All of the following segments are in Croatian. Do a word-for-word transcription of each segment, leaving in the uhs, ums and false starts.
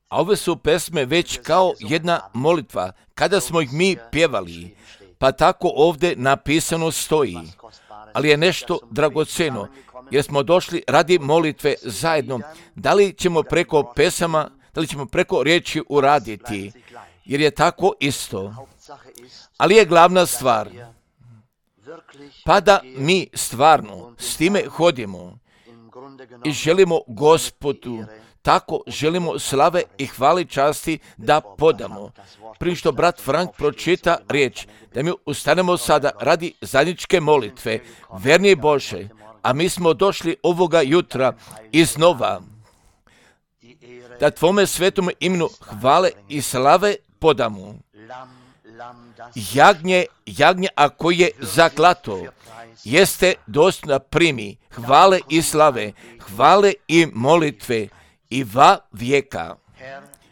A ove su pesme već kao jedna molitva, kada smo ih mi pjevali, pa tako ovdje napisano stoji. Ali je nešto dragocjeno, jer smo došli radi molitve zajedno. Da li ćemo preko pesama, da li ćemo preko riječi uraditi, jer je tako isto. Ali je glavna stvar, pa da mi stvarno s time hodimo i želimo Gospodu, tako želimo slave i hvali časti da podamo. Prije što brat Frank pročita riječ, da mi ustanemo sada radi zajedničke molitve, verni Bože, a mi smo došli ovoga jutra iznova, da Tvome svetom imenu hvale i slave podamo. Jagnje, jagnje ako je zaklato, jeste dostojno primi hvale i slave, hvale i molitve i va vijeka.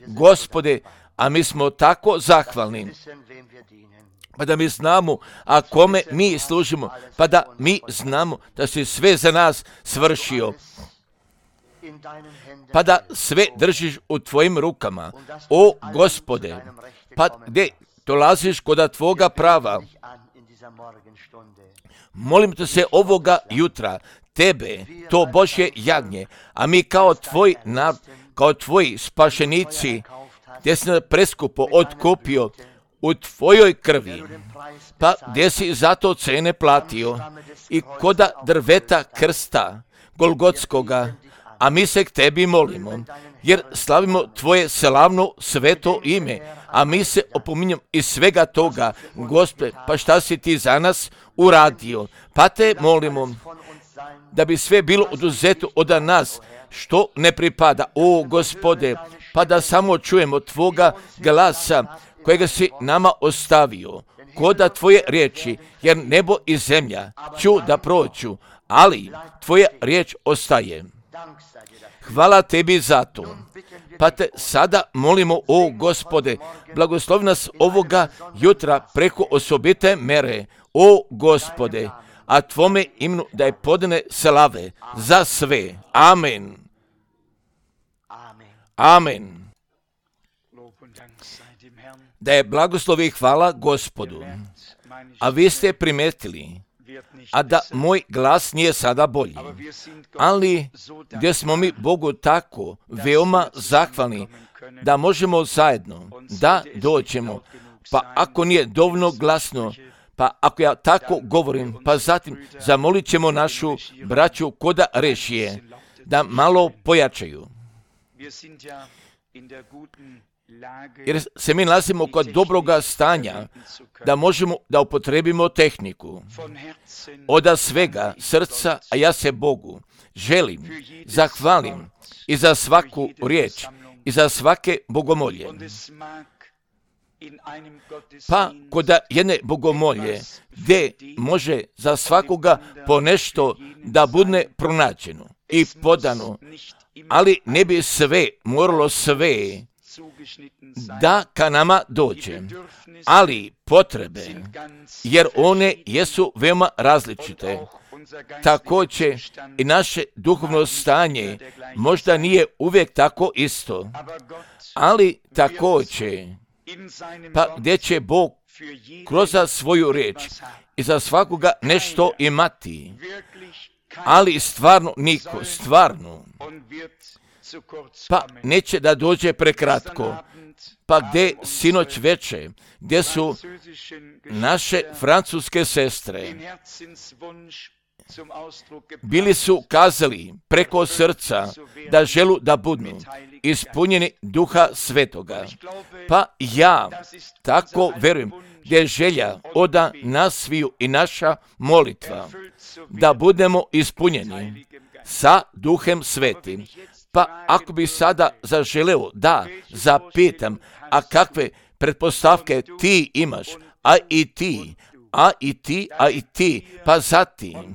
Gospode, a mi smo tako zahvalni, pa da mi znamo, a kome mi služimo, pa da mi znamo da si sve za nas svršio, pa da sve držiš u Tvojim rukama, o Gospode, pa gdje dolaziš kod Tvoga prava. Molim te se ovoga jutra, Tebe, to Božje jagnje, a mi kao Tvoj narod, kao Tvoji spašenici, gdje si nas preskupo otkupio u Tvojoj krvi, pa gdje si zato cene platio i koda drveta krsta Golgotskoga, a mi se k Tebi molimo, jer slavimo Tvoje slavno sveto ime, a mi se opominjamo iz svega toga, Gospode, pa šta si Ti za nas uradio, pa Te molimo da bi sve bilo oduzeto od nas, što ne pripada, o Gospode, pa da samo čujemo Tvoga glasa, kojega si nama ostavio, koda Tvoje riječi, jer nebo i zemlja ću da prođu, ali Tvoja riječ ostaje. Hvala Tebi za to. Pa Te sada molimo, o Gospode, blagoslovi nas ovoga jutra preko osobite mere, o Gospode, a Tvome imenu da je podane slave za sve. Amen. Amen. Da je blagoslov i hvala Gospodu. A vi ste primetili, a da moj glas nije sada bolji, ali gdje smo mi Bogu tako veoma zahvalni da možemo zajedno da dođemo, pa ako nije dovoljno glasno, pa ako ja tako govorim, pa zatim zamolit ćemo našu braću koda rešije da malo pojačaju. Jer se mi nalazimo kod dobroga stanja da možemo da upotrebimo tehniku. Od svega srca, a ja se Bogu želim, zahvalim i za svaku riječ i za svake bogomolje. Pa kod jedne bogomolje gdje može za svakoga po nešto da bude pronađeno i podano, ali ne bi sve moralo sve da ka nama dođe, ali potrebe, jer one jesu veoma različite. Također i naše duhovno stanje možda nije uvijek tako isto, ali također, pa gdje će Bog kroz svoju riječ i za svakoga nešto imati, ali stvarno niko, stvarno, pa neće da dođe prekratko. Pa gdje sinoć veče, gdje su naše francuske sestre, bili su kazali preko srca da želu da budu ispunjeni Duha Svetoga. Pa ja tako verujem gdje je želja od nas sviju i naša molitva da budemo ispunjeni sa Duhem Svetim. Pa ako bi sada zaželeo da zapitam, a kakve pretpostavke ti imaš, a i ti, a i ti, a i ti, pa zatim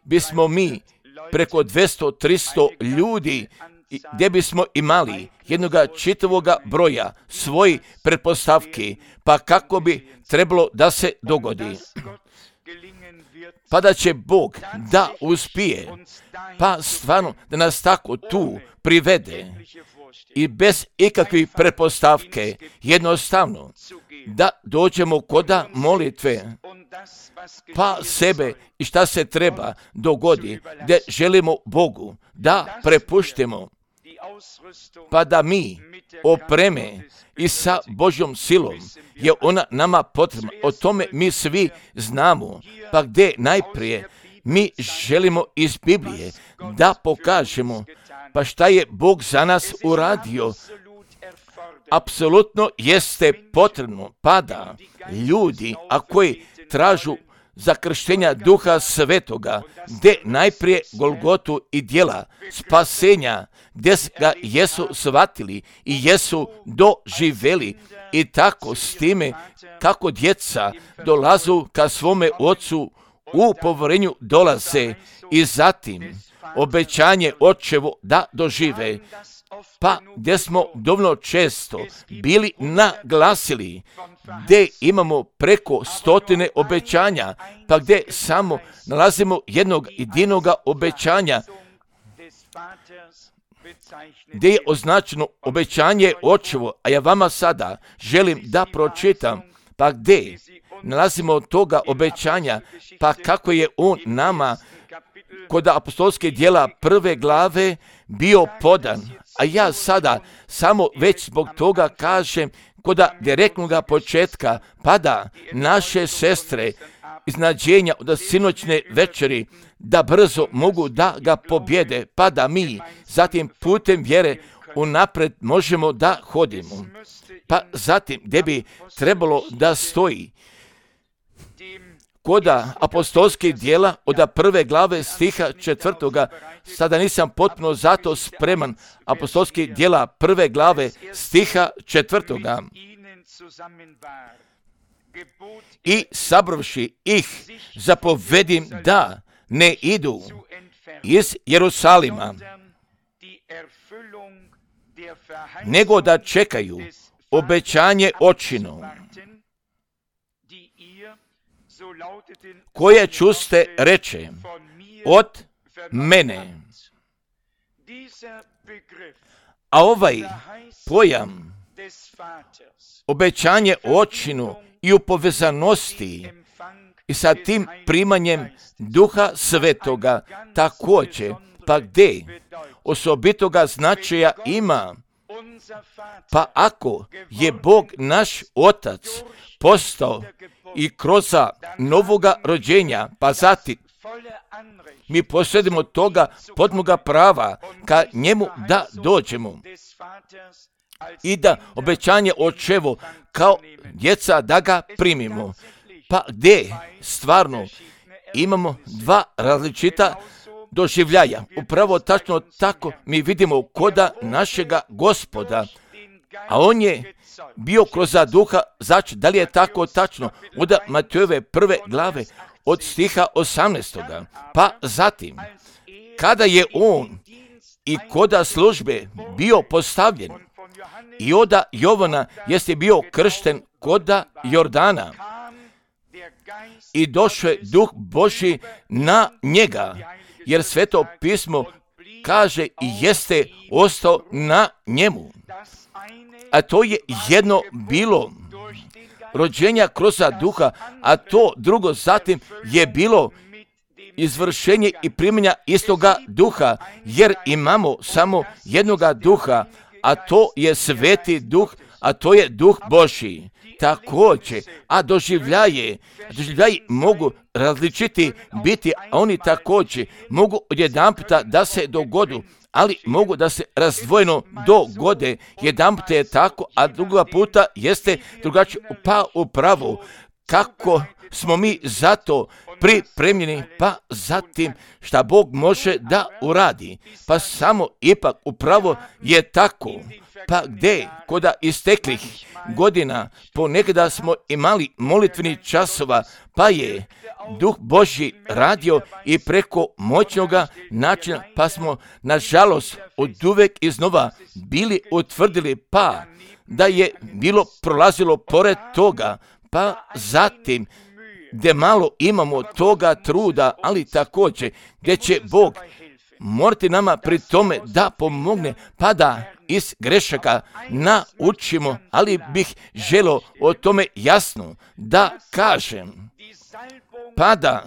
bismo mi preko dvjesto do tristo ljudi gdje bismo imali jednoga čitavoga broja svojih pretpostavki, pa kako bi trebalo da se dogodi. Pa da će Bog da uspije, pa stvarno da nas tako tu privede i bez ikakvih pretpostavke, jednostavno, da dođemo koda molitve, pa sebe i šta se treba dogodi, da želimo Bogu da prepuštimo, pa da mi opreme i sa Božjom silom je ona nama potrebna. O tome mi svi znamo, pa gdje najprije mi želimo iz Biblije da pokažemo pa šta je Bog za nas uradio. Apsolutno jeste potrebno, pa da ljudi, a koji tražu za krštenja Duha Svetoga, gdje najprije Golgotu i djela spasenja, gdje ga jesu shvatili i jesu doživeli, i tako s time kako djeca dolazu ka svome ocu u povorenju dolaze, i zatim obećanje očevo da dožive, pa gdje smo dovoljno često bili naglasili, gdje imamo preko stotine obećanja, pa gdje samo nalazimo jednog jedinoga obećanja, gdje je označeno obećanje očevo, a ja vama sada želim da pročitam, pa gdje nalazimo toga obećanja, pa kako je on nama kod apostolske djela prve glave bio podan. A ja sada samo već zbog toga kažem koda direktnoga početka, pa da naše sestre iznađenja od sinoćne večeri da brzo mogu da ga pobjede, pa da mi zatim putem vjere unapred možemo da hodimo. Pa zatim gdje bi trebalo da stoji koda apostolskih djela od prve glave stiha četvrtoga, sada nisam potpuno zato spreman, apostolskih djela prve glave stiha četvrtoga. I sabravši ih zapovedim da ne idu iz Jerusalima, nego da čekaju obećanje očino, koje čuste reče od mene. A ovaj pojam obećanje očinu i u povezanosti i sa tim primanjem Duha Svetoga također, pa gdje osobitoga značaja ima, pa ako je Bog naš Otac postao i kroz novoga rođenja, pa zatim mi posjedimo toga potpunoga prava ka njemu da dođemo i da obećanje očevo kao djeca da ga primimo. Pa gdje stvarno imamo dva različita doživljaja. Upravo tačno tako mi vidimo koda našega Gospoda, a on je bio kroz duha, znači da li je tako tačno od Matejove prve glave od stiha osamnaestoga. Pa zatim, kada je on i koda službe bio postavljen i od Jovana jeste bio kršten koda Jordana i došao je Duh Božji na njega, jer Sveto pismo kaže i jeste ostao na njemu. A to je jedno bilo rođenja kroz duha, a to drugo zatim je bilo izvršenje i primjenja istoga duha, jer imamo samo jednoga duha, a to je Sveti Duh, a to je Duh Božji. Također, a doživljaje, doživljaji mogu različiti biti, a oni također mogu odjedanputa da se dogodu, ali mogu da se razdvojeno dogode. Jedan puta je tako, a druga puta jeste drugačije. Pa upravo, kako smo mi zato pripremljeni, pa zatim šta Bog može da uradi. Pa samo ipak upravo je tako. Pa gdje, koda isteklih godina, ponekada smo imali molitveni časova, pa je Duh Božji radio i preko moćnoga načina, pa smo, nažalost, od uvek iznova bili utvrdili, pa da je bilo prolazilo pored toga, pa zatim, gdje malo imamo toga truda, ali također, gdje će Bog morate nama pri tome da pomogne, pa da iz grešaka naučimo, ali bih želio o tome jasno da kažem, pa da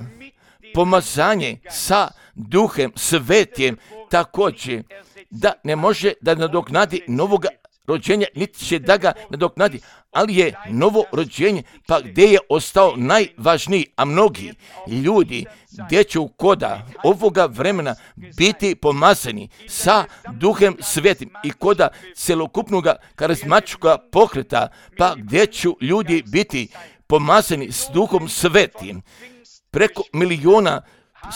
pomazanje sa Duhem Svetim također da ne može da nadoknadi novoga rođenja, niti će da ga nadoknadi, ali je novo rođenje, pa gdje je ostao najvažniji, a mnogi ljudi gdje će u koda ovoga vremena biti pomazani sa Duhem Svetim i koda celokupnog karizmatičkog pokreta, pa gdje će ljudi biti pomazani s Duhom Svetim. Preko miliona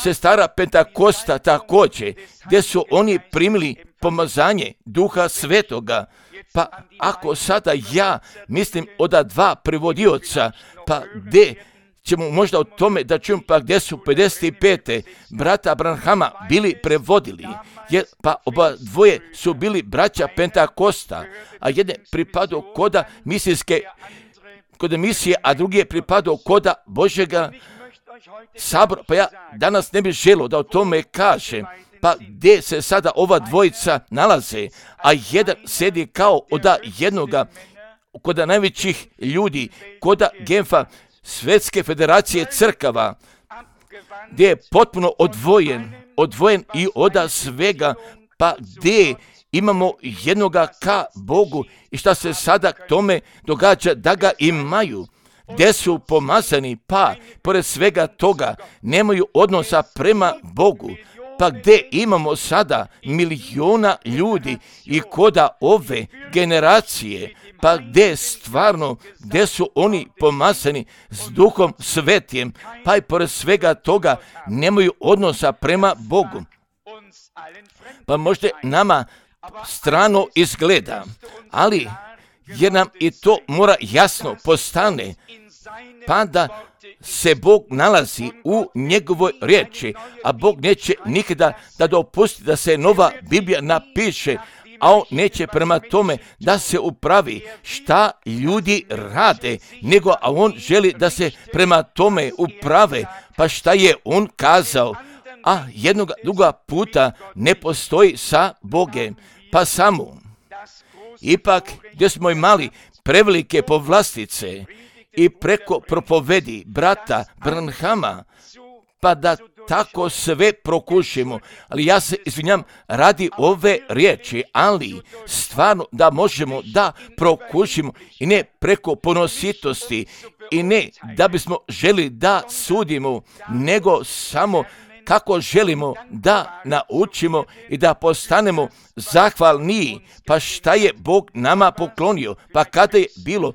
sestara Pentakosta također, gdje su oni primili pomazanje Duha Svetoga. Pa ako sada ja mislim od dva prevodioca, pa gdje ćemo možda o tome da čujem, pa gdje su pedeset pete brata Branhama bili prevodili, jer pa oba dvoje su bili braća Pentakosta, a jedan pripadao koda misijske, kod misije, a drugi je pripadao koda Božjega sabora. Pa ja danas ne bih želio da o tome kažem, pa gdje se sada ova dvojica nalaze, a jedan sedi kao od jednoga, kod najvećih ljudi, kod Genfa, Svjetske federacije crkava, gdje je potpuno odvojen, odvojen i od svega, pa gdje imamo jednoga ka Bogu i šta se sada k tome događa da ga imaju, gdje su pomazani, pa pored svega toga nemaju odnosa prema Bogu, pa gdje imamo sada miliona ljudi i koda ove generacije, pa gdje stvarno, gdje su oni pomazani s Duhom Svetim, pa i pored svega toga nemaju odnosa prema Bogu. Pa možda nama strano izgleda, ali jer nam i to mora jasno postane, pa da se Bog nalazi u njegovoj riječi, a Bog neće nikada da dopusti da se nova Biblija napiše, a on neće prema tome da se upravi šta ljudi rade, nego a on želi da se prema tome uprave, pa šta je on kazao, a jednog druga puta ne postoji sa Bogem, pa samo. Ipak gdje smo imali prevelike povlastice i preko propovedi brata Branhama, pa da tako sve prokušimo, ali ja se izvinjam radi ove riječi, ali stvarno da možemo da prokušimo i ne preko ponositosti i ne da bismo želi da sudimo, nego samo kako želimo da naučimo i da postanemo zahvalniji, pa šta je Bog nama poklonio, pa kada je bilo,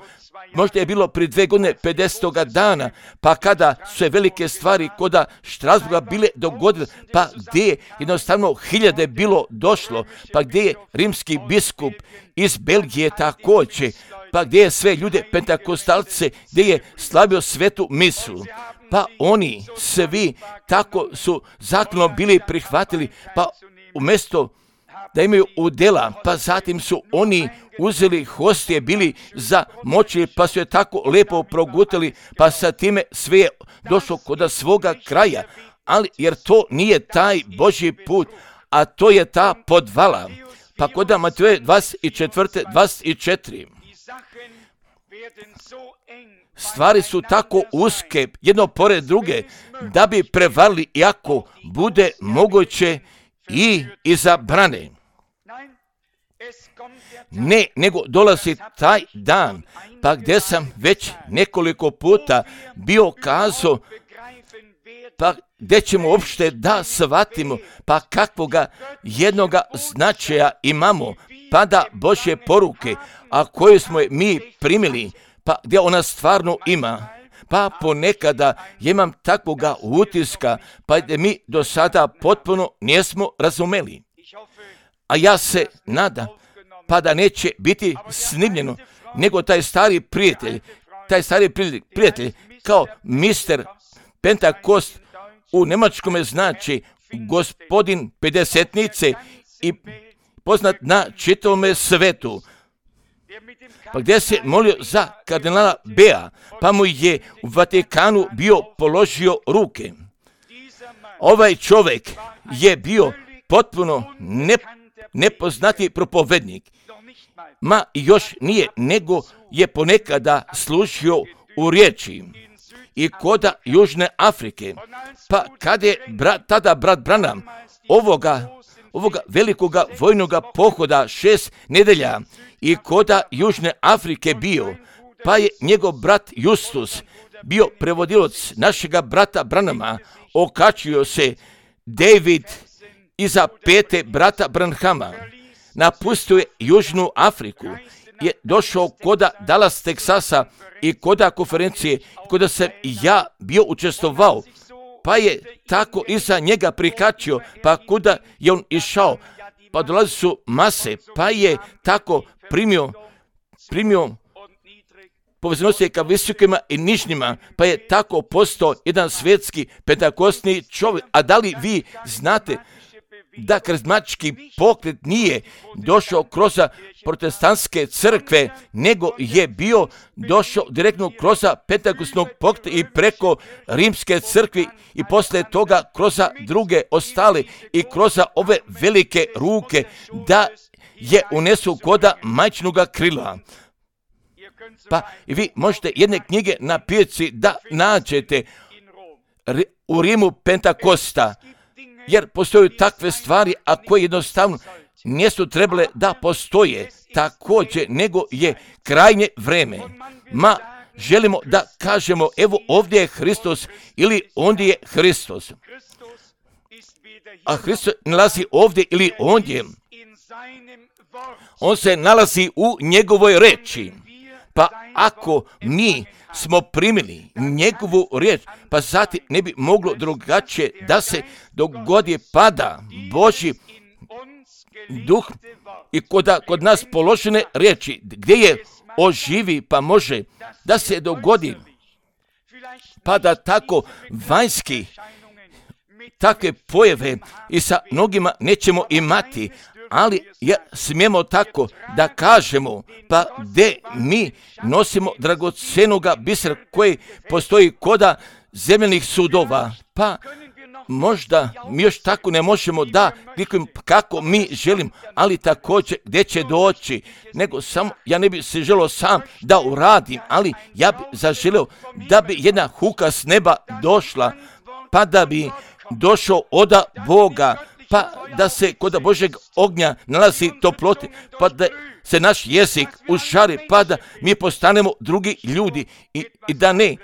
možda je bilo prije dve godine pedesetoga dana, pa kada su se velike stvari koda Štrasburga bile dogodile, pa gdje je jednostavno hiljade bilo došlo, pa gdje je rimski biskup iz Belgije također, pa gdje je sve ljude pentakostalce, gdje je slavio svetu misu. Pa oni svi tako su zakonom bili prihvatili, pa umjesto da imaju udjela, pa zatim su oni uzeli hostije, bili za moći, pa su je tako lijepo progutali, pa sa time sve je došlo kod svoga kraja, ali jer to nije taj Božji put, a to je ta podvala. Pa kod Mateja dvadeset četiri, dvadeset četiri. Stvari su tako uske, jedno pored druge, da bi prevarili, iako bude moguće i izabrane. Ne, nego dolazi taj dan, pa gdje sam već nekoliko puta bio kazao, pa gdje ćemo uopšte da shvatimo, pa kakvoga jednoga značaja imamo, pa da Božje poruke, a koje smo mi primili, pa gdje ona stvarno ima, pa ponekada imam takvoga utiska, pa gdje mi do sada potpuno nismo razumeli. A ja se nadam, pa da neće biti snimljeno, nego taj stari prijatelj, taj stari prijatelj, kao mister Pentakost u njemačkome znači gospodin pedesetnice i poznat na čitavome svetu, pa gdje se molio za kardinala Bea, pa mu je u Vatikanu bio položio ruke. Ovaj čovjek je bio potpuno ne, nepoznati propovednik. Ma još nije, nego je ponekada slušio u riječi i koda Južne Afrike. Pa kad je brat, tada brat Branham ovoga, ovoga velikoga vojnoga pohoda šest nedelja i koda Južne Afrike bio, pa je njegov brat Justus bio prevodilac našega brata Branhama, okačio se David iza pete brata Branhama, napustio je Južnu Afriku, je došao koda Dallas, Teksasa i koda konferencije, koda sam ja bio učestvovao, pa je tako iza njega prikačio, pa kuda je on išao, pa dolazi su mase, pa je tako primio, primio povezanosti ka visokima i nižnjima, pa je tako postao jedan svjetski pentakostni čovjek. A da li vi znate da karizmatički pokret nije došao kroz protestantske crkve, nego je bio došao direktno kroz pentakostnog pokreta i preko rimske crkve i poslije toga kroz druge ostale i kroz ove velike ruke da je unesu koda majčinoga krila. Pa vi možete jedne knjige na pijaci da nađete u Rimu Pentakosta, jer postoje takve stvari, a koje jednostavno nisu trebale da postoje također, nego je krajnje vreme. Ma želimo da kažemo, evo ovdje je Hristos ili ondje je Hristos. A Hristos nalazi ovdje ili ondje. On se nalazi u njegovoj reči. Pa ako mi smo primili njegovu riječ, pa zatim ne bi moglo drugačije da se dogodi pada Božji duh i kod, kod nas položene riječi, gdje je oživi, pa može da se dogodi, pa da tako vanjski takve pojave i sa mnogima nećemo imati, ali ja smijemo tako da kažemo, pa gdje mi nosimo dragocenoga bisera koji postoji koda zemljanih sudova, pa možda mi još tako ne možemo da klikujemo kako mi želim, ali također gdje će doći, nego samo, ja ne bi se želio sam da uradim, ali ja bi zaželio da bi jedna huka s neba došla, pa da bi došao od Boga, pa da se kod Božeg ognja nalazi toplote, pa da se naš jezik užari, pa da mi postanemo drugi ljudi i, i da ne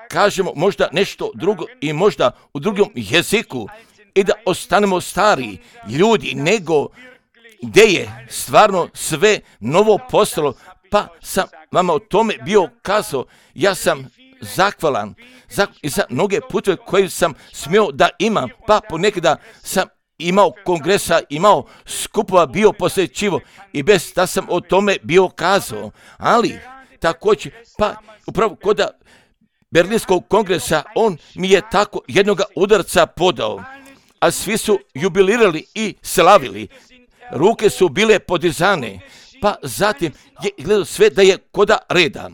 kažemo možda nešto drugo i možda u drugom jeziku i da ostanemo stari ljudi, nego gdje je stvarno sve novo postalo, pa sam vama o tome bio kazao, ja sam zahvalan za, za mnoge putove koje sam smio da imam, pa ponekada sam imao kongresa, imao skupova, bio posjećivo i bez da sam o tome bio kazao, ali također, pa upravo kod Berlinskog kongresa on mi je tako jednoga udarca podao, a svi su jubilirali i slavili, ruke su bile podizane, pa zatim je gledao sve da je koda reda.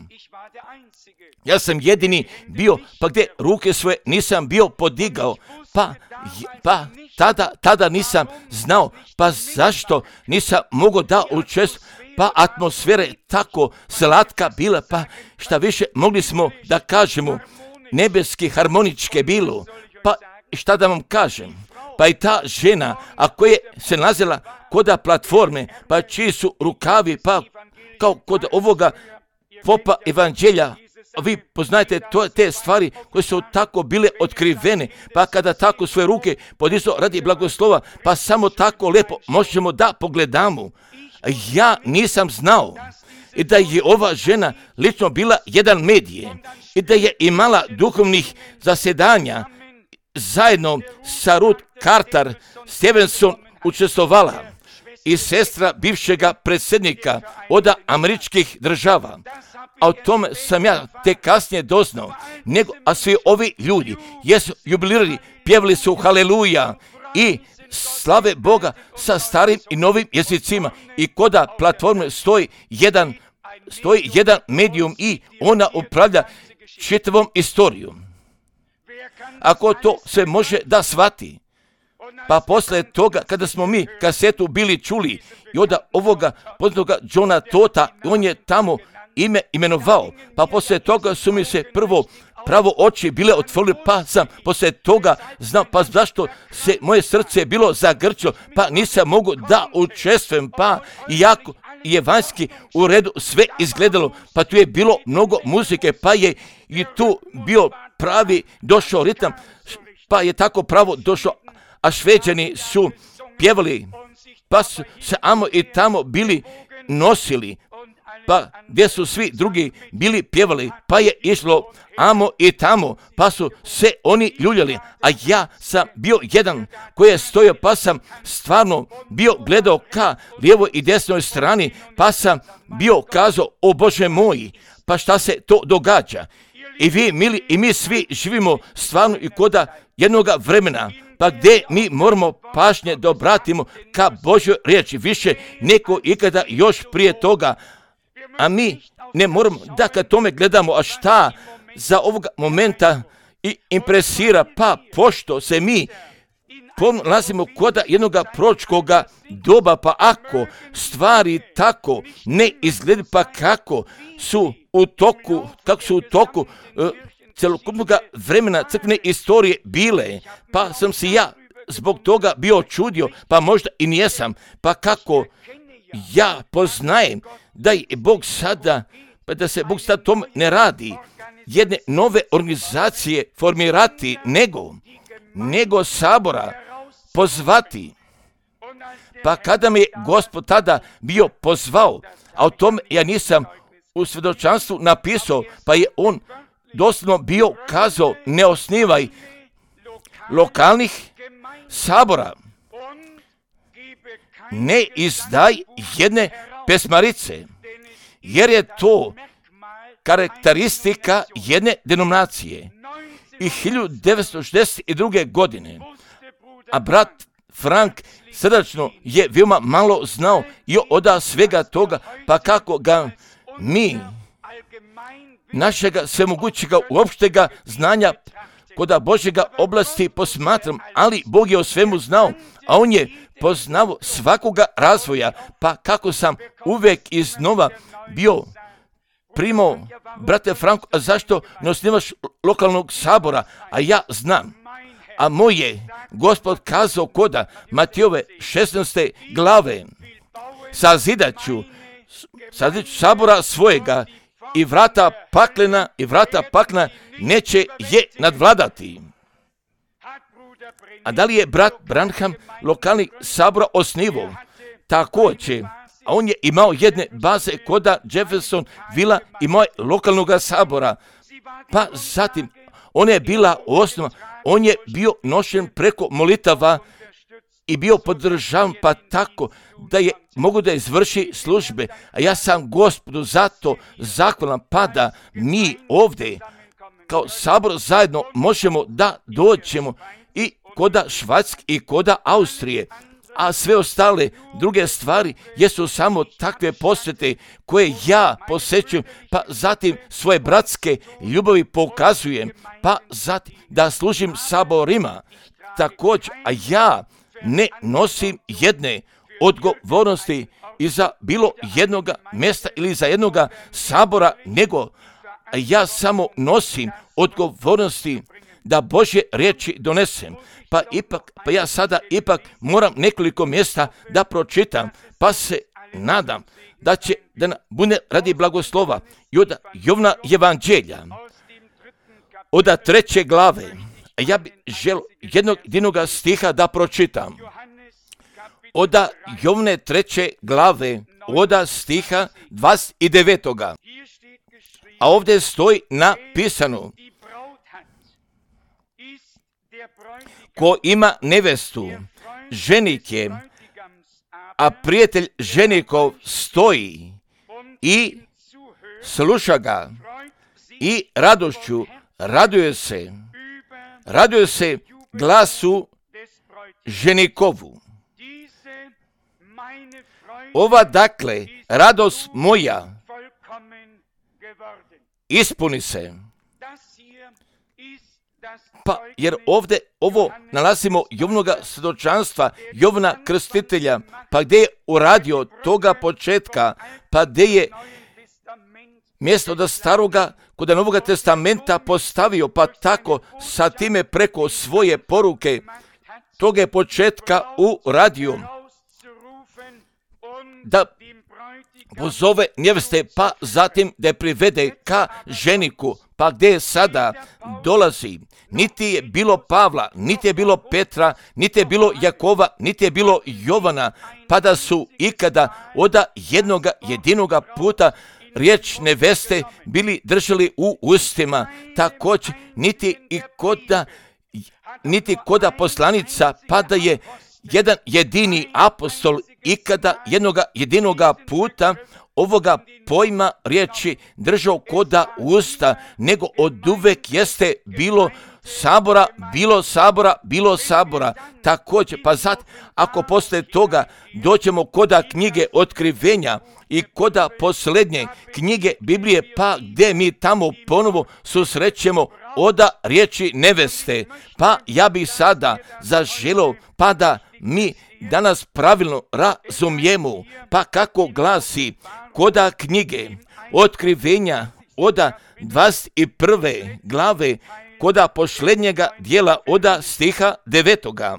Ja sam jedini bio, pa gdje ruke svoje nisam bio podigao, pa, pa tada, tada nisam znao, pa zašto nisam mogao da učestvujem, pa atmosfera je tako slatka bila, pa šta više mogli smo da kažemo, nebeski harmoničke bilo, pa šta da vam kažem, pa i ta žena, a koja se nalazila koda platforme, pa čiji su rukavi, pa kao kod ovoga popa evanđelja, vi poznajete to, te stvari koje su tako bile otkrivene, pa kada tako svoje ruke podizao radi blagoslova, pa samo tako lepo možemo da pogledamo. Ja nisam znao i da je ova žena lično bila jedan medije i da je imala duhovnih zasjedanja zajedno sa Ruth Carter Stevenson učestvovala i sestra bivšega predsjednika od američkih država. A o tome sam ja te kasnije doznao, nego, a svi ovi ljudi jesu jubilirali, pjevali su haleluja i slave Boga sa starim i novim jezicima i koda platforme stoji jedan, stoji jedan medijum i ona upravlja čitavom istorijom. Ako to se može da shvati, Pa posle toga, kada smo mi kasetu bili čuli i od ovoga poznatoga Johna Tota, on je tamo ime imenovao. Pa posle toga su mi se prvo pravo oči bile otvorili, pa sam posle toga znao, pa zašto se moje srce bilo zagrčilo, pa nisam mogu da učestvujem, pa iako je vanjski u redu sve izgledalo, pa tu je bilo mnogo muzike, pa je i tu bio pravi došao ritam, pa je tako pravo došao, a Šveđani su pjevali, pa su se amo i tamo bili nosili, pa gdje su svi drugi bili pjevali, pa je išlo amo i tamo, pa su se oni ljuljali, a ja sam bio jedan koji je stojao, pa sam stvarno bio gledao ka lijevoj i desnoj strani, pa sam bio kazao, o Bože moj, pa šta se to događa? I vi, mili, i mi svi živimo stvarno i koda jednoga vremena, pa gdje mi moramo pažnje da obratimo ka Božjoj riječi, više neko ikada još prije toga, a mi ne moramo da kad tome gledamo, a šta za ovoga momenta i impresira, pa pošto se mi nalazimo koda jednoga proročkoga doba, pa ako stvari tako ne izgledaju, pa kako su u toku, kako su u toku uh, celokupnog vremena crkvene istorije bile, pa sam si ja zbog toga bio čudio, pa možda i nijesam, pa kako ja poznajem da je Bog sada, pa da se Bog sada tom ne radi, jedne nove organizacije formirati, nego, nego sabora pozvati. Pa kada me je Gospod tada bio pozvao, a o tome ja nisam u svjedočanstvu napisao, pa je on doslovno bio kazao, ne osnivaj lokalnih sabora, ne izdaj jedne pesmarice, jer je to karakteristika jedne denominacije. I hiljadu devetsto šezdeset druge. godine, a brat Frank srdačno je veoma malo znao i od svega toga, pa kako ga mi, našega svemogućega uopštega znanja koda Božjega oblasti posmatram, ali Bog je o svemu znao, a on je poznao svakoga razvoja, pa kako sam uvek iznova bio primao, brate Franko, a zašto ne osnivaš lokalnog sabora, a ja znam, a moje Gospod kazao koda Matijove šesnaeste glave, sazidaću, sazidaću sabora svojega i vrata paklena i vrata pakna neće je nadvladati. A da li je brat Branham lokalni sabora osnivao? Također, a on je imao jedne baze koda Jefferson Villa, imao je lokalnog sabora, pa zatim ona je bila osnova, on je bio nošen preko molitava i bio podržavan, pa tako da je mogu da izvrši službe, a ja sam Gospodu zato zahvalan, pa da mi ovdje kao sabor zajedno možemo da dođemo i koda Švajcarske i koda Austrije, a sve ostale druge stvari jesu samo takve posvete koje ja posjećujem, pa zatim svoje bratske ljubavi pokazujem, pa zatim da služim saborima također, a ja ne nosim jedne odgovornosti iza bilo jednoga mjesta ili za jednoga sabora, nego ja samo nosim odgovornosti da Božje riječi donesem. Pa ipak, pa ja sada ipak moram nekoliko mjesta da pročitam, pa se nadam da će da bude radi blagoslova i od Jovna evanđelja, od treće glave. A ja bih želio jednog jednog stiha da pročitam. Od Jovne treće glave, od stiha dvadeset devetog. A ovdje stoji napisano: ko ima nevestu, ženik je, a prijatelj ženikov stoji i sluša ga i radošću raduje se, raduje se glasu ženikovu. Ova dakle radost moja ispuni se. Pa, jer ovdje ovo nalazimo Jovnoga svjedočanstva, Jovna Krstitelja, pa gdje je uradio toga početka, pa gdje je mjesto da staroga kod Novoga testamenta postavio, pa tako sa time preko svoje poruke toga je početka uradio, da pozove neveste, pa zatim da je privede ka ženiku, pa gdje je sada dolazi. Niti je bilo Pavla, niti je bilo Petra, niti je bilo Jakova, niti je bilo Jovana, pa da su ikada oda jednoga jedinoga puta riječ neveste bili držali u ustima. Također niti i koda, niti koda poslanica, pa da je jedan jedini apostol ikada jednoga jedinoga puta ovoga pojma riječi držao koda usta, nego oduvek jeste bilo sabora, bilo sabora, bilo sabora. Također, pa zat, ako posle toga doćemo koda knjige Otkrivenja i koda posljednje knjige Biblije, pa gdje mi tamo ponovo susrećemo oda riječi neveste, pa ja bih sada zaželio, pa da mi danas pravilno razumijemo, pa kako glasi koda knjige Otkrivenja oda dvadeset prve glave, koda posljednjega dijela oda stiha devetoga.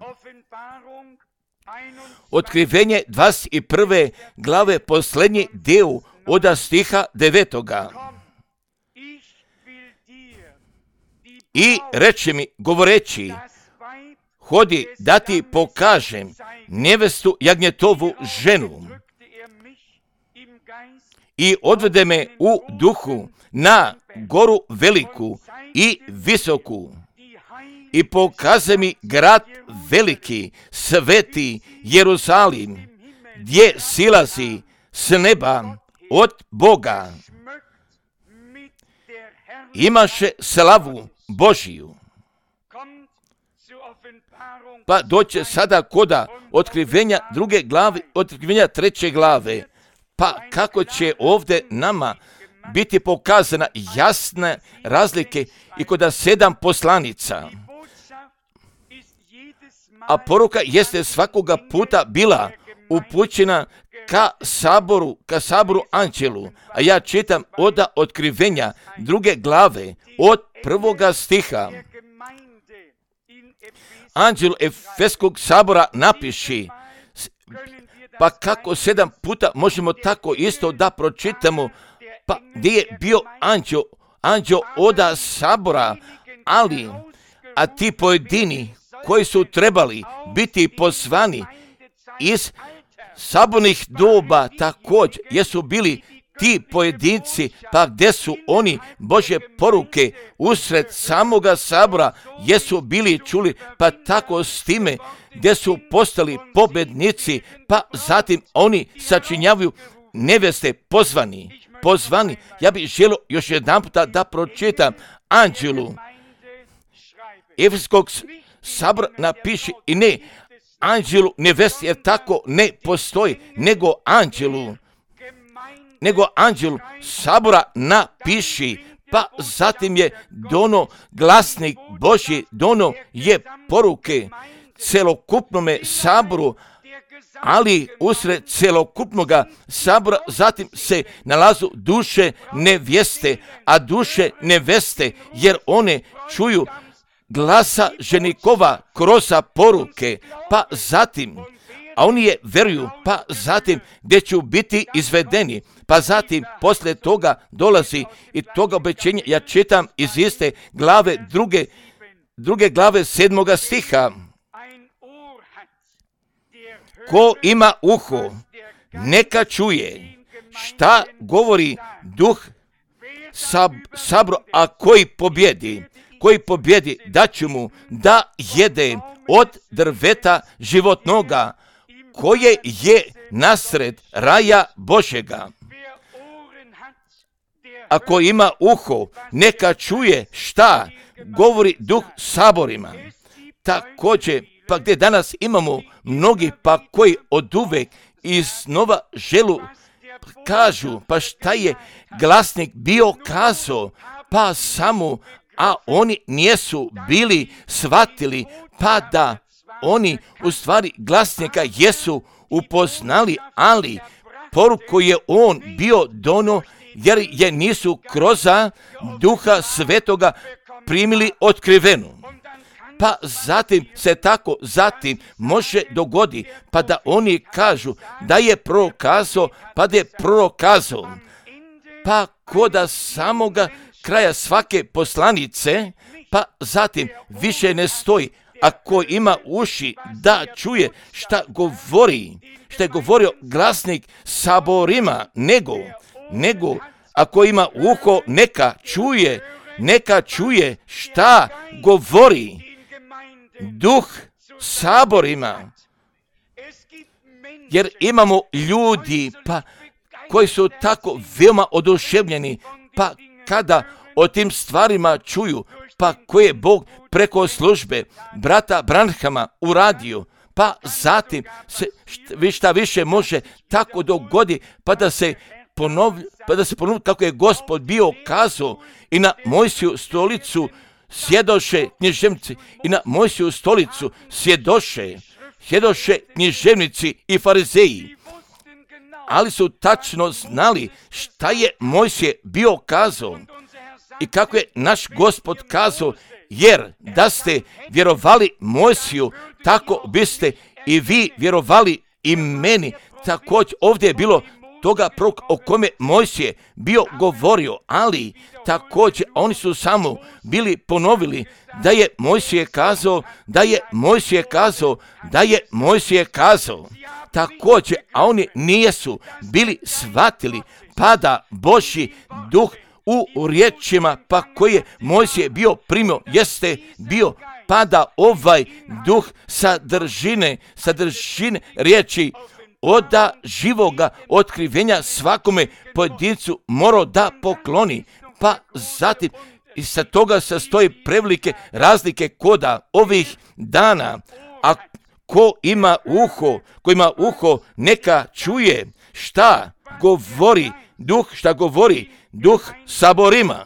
Otkrivenje dvadeset prve glave, posljednji dio oda stiha devetoga. I reče mi, govoreći, hodi da ti pokažem nevestu jagnjetovu ženu. I odvede me u duhu na goru veliku i visoku i pokaže mi grad veliki, sveti Jerusalim, gdje silazi s neba od Boga. Imaše slavu Božiju. Pa doće sada koda otkrivenja druge glave, otkrivenja treće glave. Pa kako će ovdje nama biti pokazana jasne razlike i koda sedam poslanica. A poruka jeste svakoga puta bila upućena ka saboru, ka saboru anđelu. A ja čitam oda otkrivenja druge glave od prvoga stiha. Anđel Efeskog sabora napiši, pa kako sedam puta možemo tako isto da pročitamo, pa gdje je bio anđel, anđel oda sabora, ali, a ti pojedini koji su trebali biti pozvani iz sabornih doba također, jesu bili ti pojedinci, pa gdje su oni Božje poruke usred samoga sabora, jesu bili čuli, pa tako s time gdje su postali pobednici, pa zatim oni sačinjavaju neveste pozvani, pozvani. Ja bih želio još jedan puta da pročitam anđelu Efeskog sabora napiši i ne anđelu nevesti, jer tako ne postoji, nego anđelu, nego anđelu sabora napiši, pa zatim je dono glasnik Božji, dono je poruke celokupnome saboru, ali usred celokupnoga sabora zatim se nalazu duše nevjeste, a duše neveste, jer one čuju glasa ženikova kroz poruke, pa zatim, a oni je veruju, pa zatim gdje će biti izvedeni, pa zatim poslije toga dolazi i toga obećenja, ja čitam iz iste glave druge, druge glave sedmoga stiha. Ko ima uho, neka čuje šta govori duh sab, sabro, a koji pobjedi, koji pobjedi daću mu da jede od drveta životnoga, koje je nasred raja Božega. Ako ima uho, neka čuje šta govori duh saborima. Također, pa gdje danas imamo mnogi pa koji oduvek iznova želu kažu, pa šta je glasnik bio kazao, pa samo a oni nijesu bili shvatili, pa da oni u stvari glasnika jesu upoznali, ali poruku je on bio dono, jer je nisu kroz Duha Svetoga primili otkrivenu. Pa zatim se tako zatim može dogodi, pa da oni kažu da je prokazao, pa da je prokazao. Pa koda samoga kraja svake poslanice, pa zatim više ne stoji, ako ima uši da čuje šta govori, šta je govorio glasnik saborima, nego, nego ako ima uho neka čuje, neka čuje šta govori Duh saborima. Jer imamo ljudi pa koji su tako veoma oduševljeni, pa kada o tim stvarima čuju, pa koje Bog preko službe brata Branhama uradio, pa zatim se šta više može tako dogodi, pa da se ponovi, pa da se ponovi kako je Gospod bio kazao i na Mojsiju stolicu sjedoše književnici i na Mojsiju stolicu sjedoše, sjedoše književnici i farizeji. Ali su tačno znali šta je Mojsije bio kazao i kako je naš Gospod kazao, jer da ste vjerovali Mojsiju, tako biste i vi vjerovali i meni. Također ovdje je bilo toga prorok o kome Mojsije bio govorio, ali također oni su samo bili ponovili da je Mojsije kazao, da je Mojsije kazao, da je Mojsije kazao. Također, a oni nijesu bili shvatili, pada Božji duh u riječima, pa koji je Mojsije bio primio, jeste bio pada ovaj duh sadržine, sadržine riječi oda živoga otkrivenja svakome pojedincu morao da pokloni, pa zatim i sa toga sastoji prevelike razlike koda ovih dana, a ko ima uho, ko ima uho neka čuje šta govori duh, šta govori duh saborima.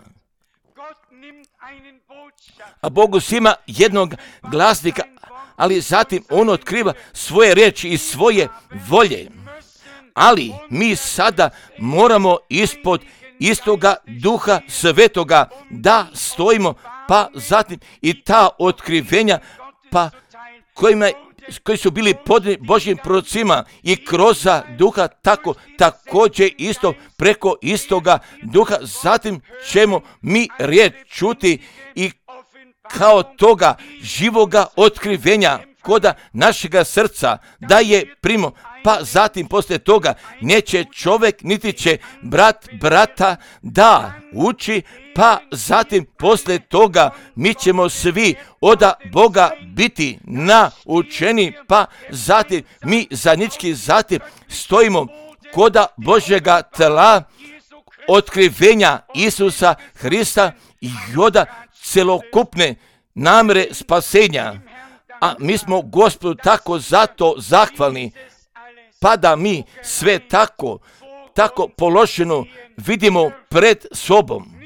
A Bog uzima jednog glasnika, ali zatim on otkriva svoje riječi i svoje volje. Ali mi sada moramo ispod istoga Duha Svetoga da stojimo, pa zatim i ta otkrivenja, pa kojima, koji su bili podani Božjim prorocima i kroz Duha, tako također isto preko istoga Duha, zatim ćemo mi riječ čuti i kao toga živoga otkrivenja koda našega srca da je primo, pa zatim poslije toga neće čovjek niti će brat brata da uči, pa zatim poslije toga mi ćemo svi oda Boga biti naučeni, pa zatim mi zajednički zatim stojimo koda Božjega tela otkrivenja Isusa Hrista i oda celokupne namjere spasenja. A mi smo Gospodu tako zato zahvalni, pa da mi sve tako, tako položeno vidimo pred sobom.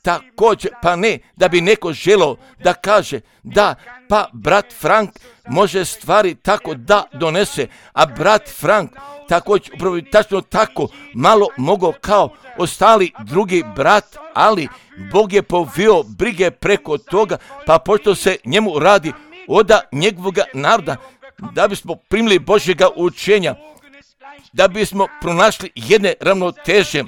Također, pa ne da bi neko želio da kaže da pa brat Frank može stvari tako da donese, a brat Frank također upravo tačno tako malo mogao kao ostali drugi brat, ali Bog je povio brige preko toga, pa pošto se njemu radi oda njegovoga naroda, da bismo primili Božjega učenja, da bismo pronašli jedne ravnoteže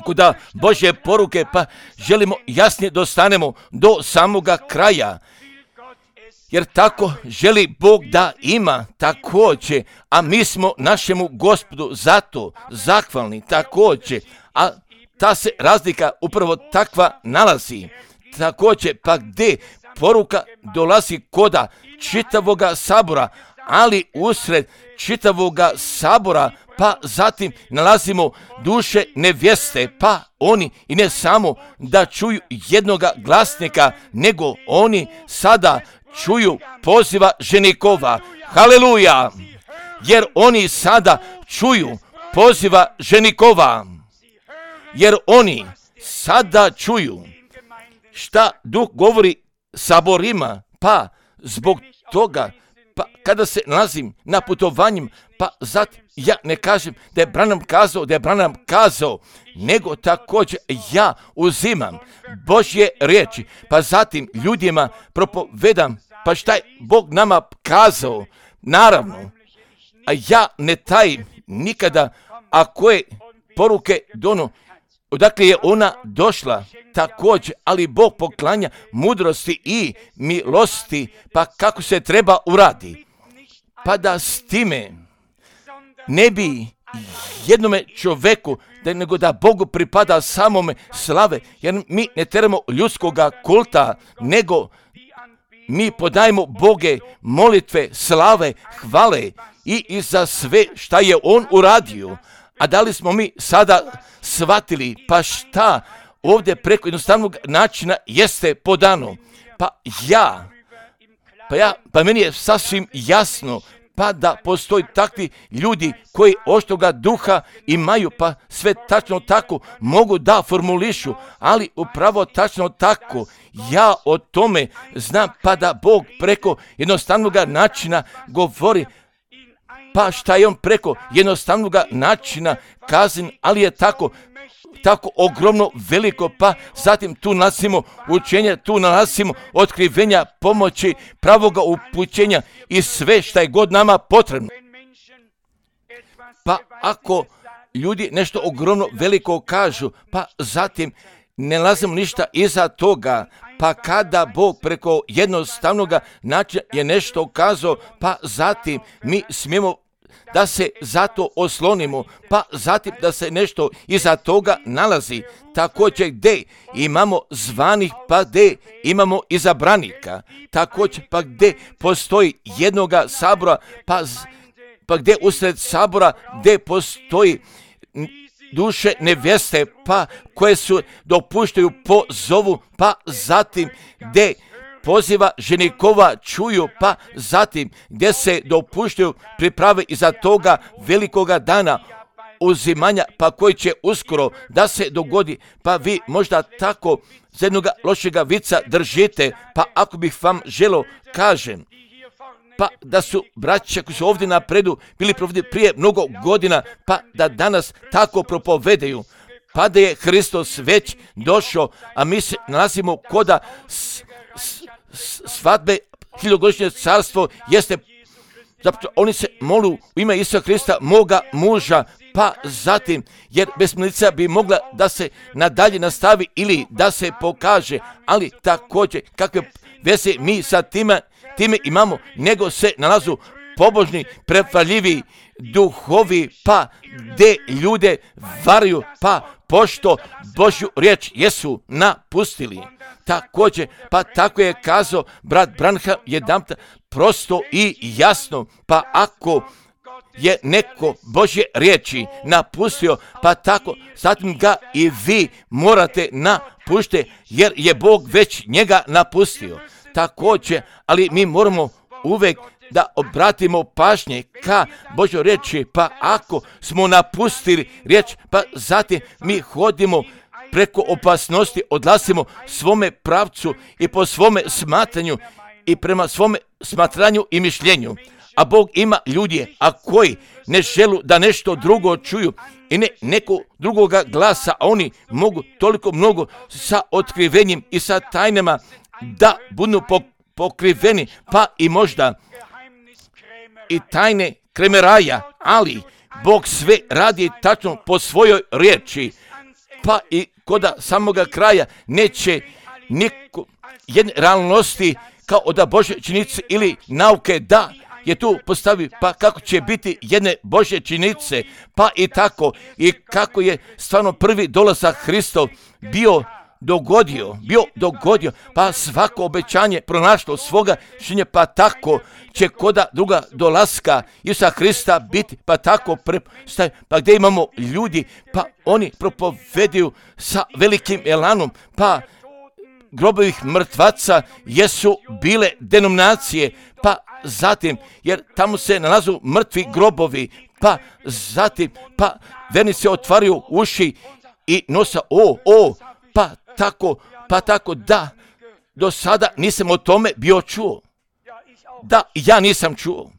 kuda Božje poruke, pa želimo jasnije dostanemo do samoga kraja. Jer tako želi Bog da ima također, a mi smo našemu Gospodu zato zahvalni također, a ta se razlika upravo takva nalazi. Također, pa gdje poruka dolazi koda čitavoga sabora, ali usred čitavoga sabora, pa zatim nalazimo duše nevjeste, pa oni i ne samo da čuju jednoga glasnika, nego oni sada čuju poziva ženikova. Haleluja! Jer oni sada čuju poziva ženikova. Jer oni sada čuju šta Duh govori saborima, pa zbog toga, pa kada se nalazim na putovanjima, pa zato ja ne kažem da je Branham kazao, da je Branham kazao, nego također ja uzimam Božje riječi, pa zatim ljudima propovedam, pa šta je Bog nama kazao, naravno, a ja ne tajim nikada, a koje poruke dono, odakle je ona došla, također, ali Bog poklanja mudrosti i milosti, pa kako se treba uradi, pa da s time ne bi jednome čovjeku, da nego da Bogu pripada samome slave, jer mi ne teramo ljudskoga kulta, nego mi podajemo Boge molitve, slave, hvale i, i za sve šta je On uradio. A da li smo mi sada shvatili, pa šta ovdje preko jednostavnog načina jeste podano? Pa ja, pa ja, pa meni je sasvim jasno, pa da postoji takvi ljudi koji oštoga duha imaju, pa sve tačno tako mogu da formulišu, ali upravo tačno tako ja o tome znam, pa da Bog preko jednostavnog načina govori, pa šta je On preko jednostavnog načina kazan, ali je tako tako ogromno veliko, pa zatim tu nalazimo učenja, tu nalazimo otkrivenja, pomoći, pravoga upućenja i sve šta je god nama potrebno. Pa ako ljudi nešto ogromno veliko kažu, pa zatim ne nalazimo ništa iza toga, pa kada Bog preko jednostavnog načina je nešto kazao, pa zatim mi smijemo da se zato oslonimo, pa zatim da se nešto iza toga nalazi, također gdje imamo zvanih, pa gdje imamo izabranika, također pa gdje postoji jednoga sabora, pa, pa gdje usred sabora gdje postoji duše nevjeste, pa koje su dopuštaju po zovu, pa zatim gdje poziva ženikova čuju, pa zatim gdje se dopuštaju priprave iza toga velikoga dana uzimanja, pa koji će uskoro da se dogodi, pa vi možda tako za jednoga lošega vica držite, pa ako bih vam želo kažem, pa da su braća koji su ovdje napredu bili provodili prije mnogo godina, pa da danas tako propovedaju, pa da je Hristos već došao, a mi se nalazimo koda s, s, svadbe, hiljogodišnje carstvo jeste, zapravo oni se molu u ime Isusa Krista, moga muža, pa zatim, jer besmrtnica bi mogla da se nadalje nastavi ili da se pokaže, ali također kakve veze mi sa time, time imamo, nego se nalazu pobožni, prefaljivi duhovi, pa gdje ljude varaju, pa pošto Božju riječ jesu napustili. Također, pa tako je kazao brat Branham jedanput prosto i jasno, pa ako je neko Božje riječi napustio, pa tako zatim ga i vi morate napuštiti, jer je Bog već njega napustio. Također, ali mi moramo uvijek da obratimo pažnje ka Božjoj riječi, pa ako smo napustili riječ, pa zatim mi hodimo preko opasnosti, odlazimo svome pravcu i po svome smatranju i prema svome smatranju i mišljenju. A Bog ima ljudi, a koji ne želu da nešto drugo čuju i ne neko drugoga glasa, a oni mogu toliko mnogo sa otkrivenjem i sa tajnama da budu pokriveni, pa i možda i tajne kremeraja, ali Bog sve radi tačno po svojoj riječi, pa i koda samoga kraja neće niko jedne realnosti kao da Božje činjenice ili nauke da je tu postavi, pa kako će biti jedne Božje činjenice, pa i tako i kako je stvarno prvi dolazak Hristov bio dogodio, bio dogodio, pa svako obećanje pronašlo svoga činjenja, pa tako će koda druga dolaska Isusa Hrista biti, pa tako prepostavi, pa gdje imamo ljudi, pa oni propoveduju sa velikim elanom, pa grobovih mrtvaca jesu bile denominacije, pa zatim, jer tamo se nalazu mrtvi grobovi, pa zatim, pa vernici otvaraju uši i nosa, o, o, pa tako, pa tako da, do sada nisam o tome bio čuo. Da, ja nisam čuo.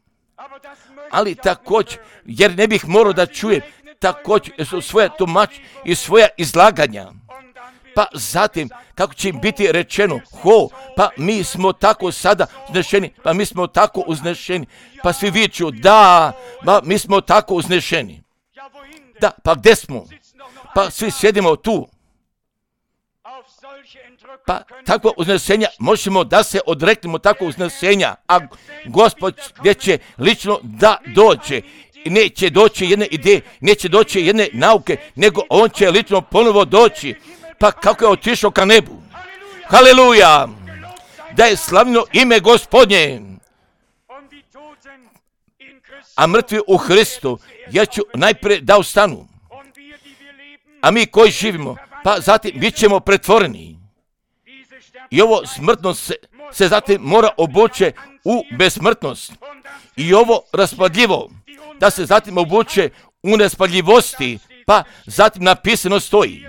Ali također, jer ne bih morao da čujem, također su svoja tumač i svoja izlaganja. Pa zatim, kako će im biti rečeno, ho, pa mi smo tako sada uznešeni, pa mi smo tako uznešeni, pa svi viču, da, pa mi smo tako uznešeni. Da, pa gdje smo? Pa svi sjedimo tu. Pa takvo uznesenja možemo da se odreknemo takvo uznesenja, a Gospod gdje će lično da dođe. Neće doći jedne ideje, neće doći jedne nauke, nego on će lično ponovo doći. Pa kako je otišao ka nebu. Haleluja! Da je slavno ime Gospodnje. A mrtvi u Hristu, ja ću najprije da ustanu. A mi koji živimo, pa zatim bit ćemo pretvoreni. I ovo smrtnost se, se zatim mora obuče u besmrtnost. I ovo raspadljivo, da se zatim obuče u nespadljivosti, pa zatim napisano stoji.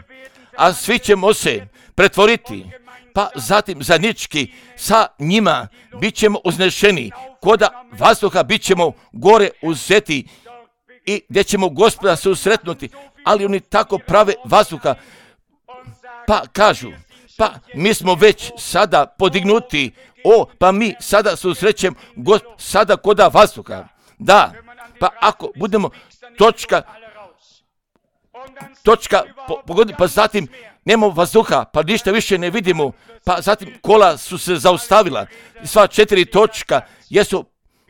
A svi ćemo se pretvoriti, pa zatim zajednički sa njima bit ćemo uznešeni, koda vazduha bit ćemo gore uzeti i gdje ćemo Gospoda susretnuti, ali oni tako prave vazduha, pa kažu, pa mi smo već sada podignuti, o, pa mi sada susrećemo Gospod, sada koda vazduha. Da, pa ako budemo točka, točka po, pogoditi, pa zatim nemamo vazduha, pa ništa više ne vidimo, pa zatim kola su se zaustavila, sva četiri točka jesu